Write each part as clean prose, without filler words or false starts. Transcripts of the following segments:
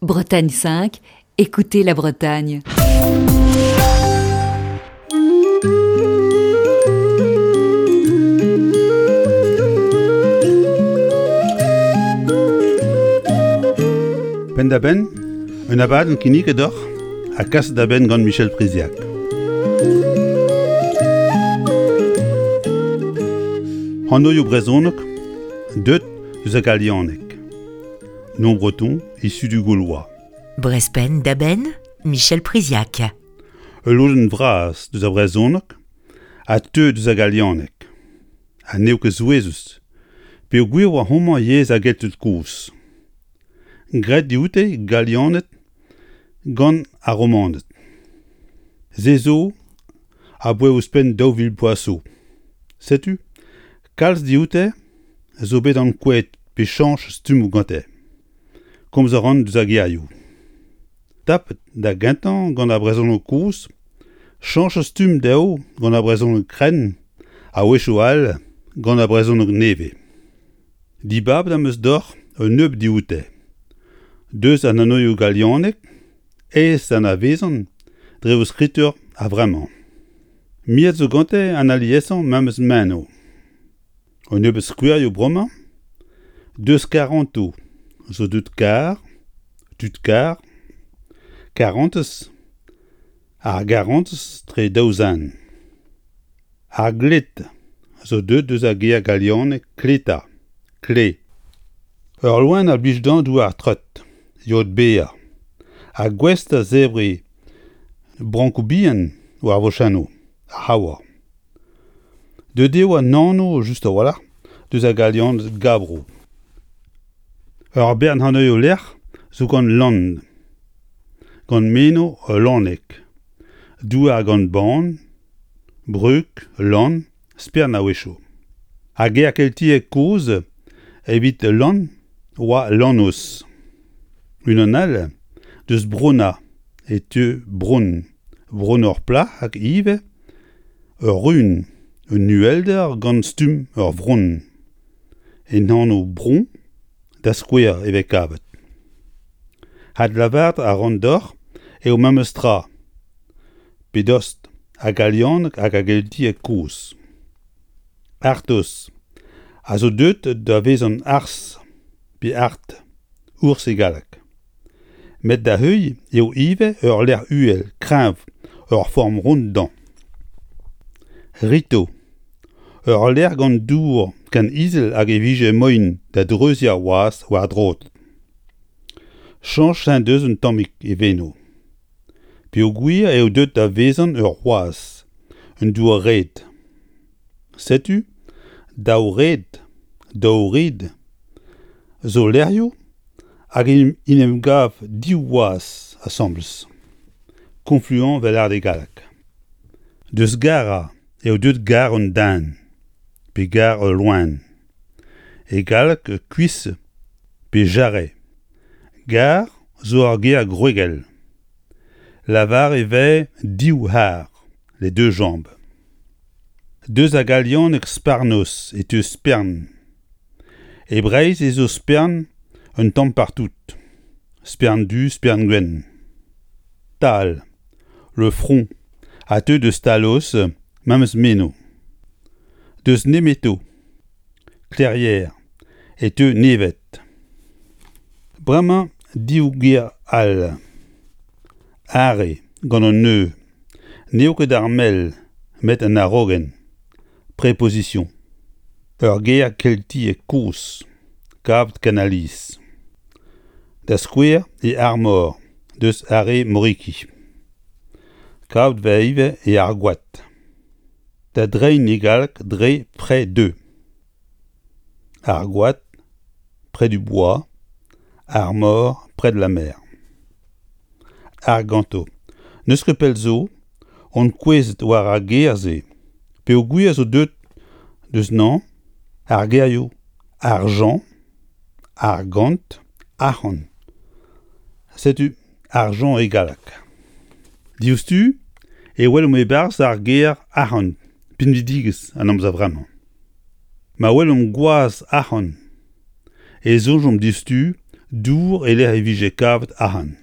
Bretagne 5, écoutez la Bretagne. Penn-da-benn, un abadenn kinniget deoc'h ha kaset da benn gant Michel Priziac. Anvioù brezhonek deuet eus ar galianeg. Nom breton issu du gaulois. Brezpenn da benn, Michel Priziac. Ul lodenn vras deus ar brezhoneg a teu deus ar galianeg. Ha n'eo ket souezhus, peogwir oa homañ yezh ar Gelted kozh. Graet dioute Galianed gant ar Romaned. Se zo aboae ouzhpenn 2000 bloaz zo. Setu, kalz dioute zo bet ankouaet pe chañch stummoù gante. Komz a ran deus ar gerioù. Tapet da gentañ gant ar brezhoneg kozh, chañch stumm dezho gant ar brezhoneg krenn, a-wechoù all gant ar brezhoneg nevez. Dibabet am eus deoc'h un nebeud dioute. Deus an anvioù galianek aes anavezan dre o skritur a-vremañ. Miret zo gante an aliesañ memes meno. Un nebeud skouerioù bremañ, deus karantoù zo deuet kar, tud kar, karantez, ar garantez tre daou zen. Ar gled zo deuet eus ar ger galianek kleta, kle. Ur loen a blij dezhañ douar treut, yod berr, ha gouest da zebriñ brankoù bihan war vochennoù ar c'haour. Deuet eo an anv just a-walc'h deus ar galianed gabro. Ur bern anvioù-lec'h zo gant lann, gant meno ul lanneg, douar gant ban, Brug, lann, spern a-wechoù. Ar ger keltiek kozh evit lann oa lannos. Unan all deus Brona e teu bronn, bronn ur plac'h hag ivez ur run, un uhelder gant stumm ur vronn. En anv Bron, da skouer, e vez kavet. Adlavaret a ran deoc'h eo memes tra. pe dost, ha galianeg hag ar geltieg kozh. Artos a zo deuet da vezañ arz pe art, ours e galleg. Met da heuilh eo ivez ul lec'h uhel, kreñv, ur form ront dezhañ. Rito, ul lec'h gant dour ken izel hag e vije moaien da dreuziñ ar wazh war droad. Chañch en deus un tammig e veno. Peogwir eo deuet da vezañ ur wazh, un dour-red. Setu daou red, daou red zo lec'hioù hag en em gav div wazh asambles, confluent 'vel lâret e galleg. Deus gara eo deuet gar un den pe gar ul loen. E galleg cuisse pe jarret. Gar zo ur ger gwregel. Lavar e vez div c'har, les deux jambes. Deus ar galianeg sparnos e teu spern. E Breizh ez eus spern un tamm partout. Spern du, spern gwenn. Tal, le front, a teu deus talos, memes meno. Deus nemeto. Clairière e teu neved. Bremañ div ger all. Arre gant an eu. N'eo ket ar mell met an araogenn. Préposition. Ur ger keltiek kozh, kavet ken alies. Da skouer e Armor deus Are Moriki. Kavet 'vez ivez e Argoad. Da dreiñ e galleg dre près de. Argoad, près du bois, Armor, près de la mer. Arganto. N'eus ket pell zo on kouezhet war ar ger-se peogwir zo deuet deus 'nañ ar gerioù argent, argant, arc'hant. Setu argent e galleg. Diouzhtu e welomp e-barzh ar ger arc'hant pinvidigezh an amzer vremañ. Ma welomp gwazh arc'hant e soñjomp diouzhtu Dour e-lec'h e vije kavet arc'hant.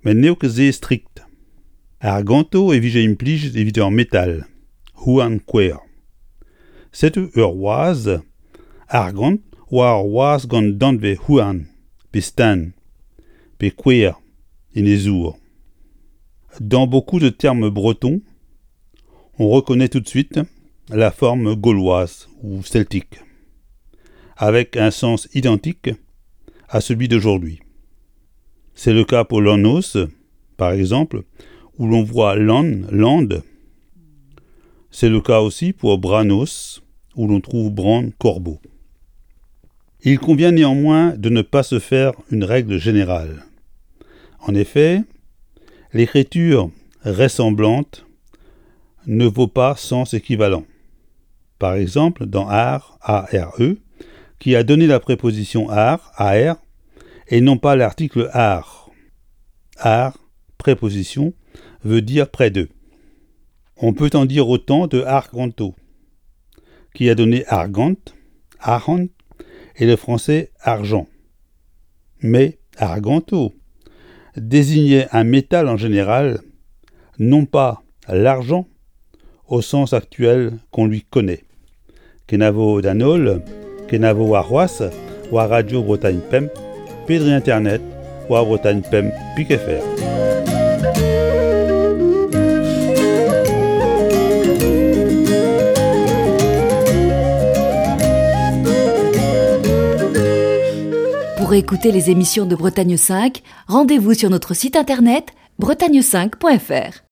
Met n'eo ket se strikt. Arganto e vije implijet evit ur metal, houarn kouer. Setu ur wazh argant oa ur wazh gant danvez houarn pe staen pe kouer en e zour. Dans beaucoup de termes bretons, on reconnaît tout de suite la forme gauloise ou celtique, avec un sens identique à celui d'aujourd'hui. C'est le cas pour Lannos, par exemple, où l'on voit Lan, Lande. C'est le cas aussi pour Branos, où l'on trouve Bran, corbeau. Il convient néanmoins de ne pas se faire une règle générale. En effet, l'écriture ressemblante ne vaut pas sens équivalent. Par exemple, dans ar, A-R-E, qui a donné la préposition ar, A-R, et non pas l'article ar. Ar, préposition, veut dire près d'eux. On peut en dire autant de arganto, qui a donné argant, argent et le français argent. Mais arganto désignait un métal en général, non pas l'argent au sens actuel qu'on lui connaît. Kenavo d'an holl, kenavo warc'hoazh war Radio Bretagne Pemp pe dre internet war Bretagne Pemp pik fr. Pour écouter les émissions de Bretagne 5, rendez-vous sur notre site internet bretagne5.fr.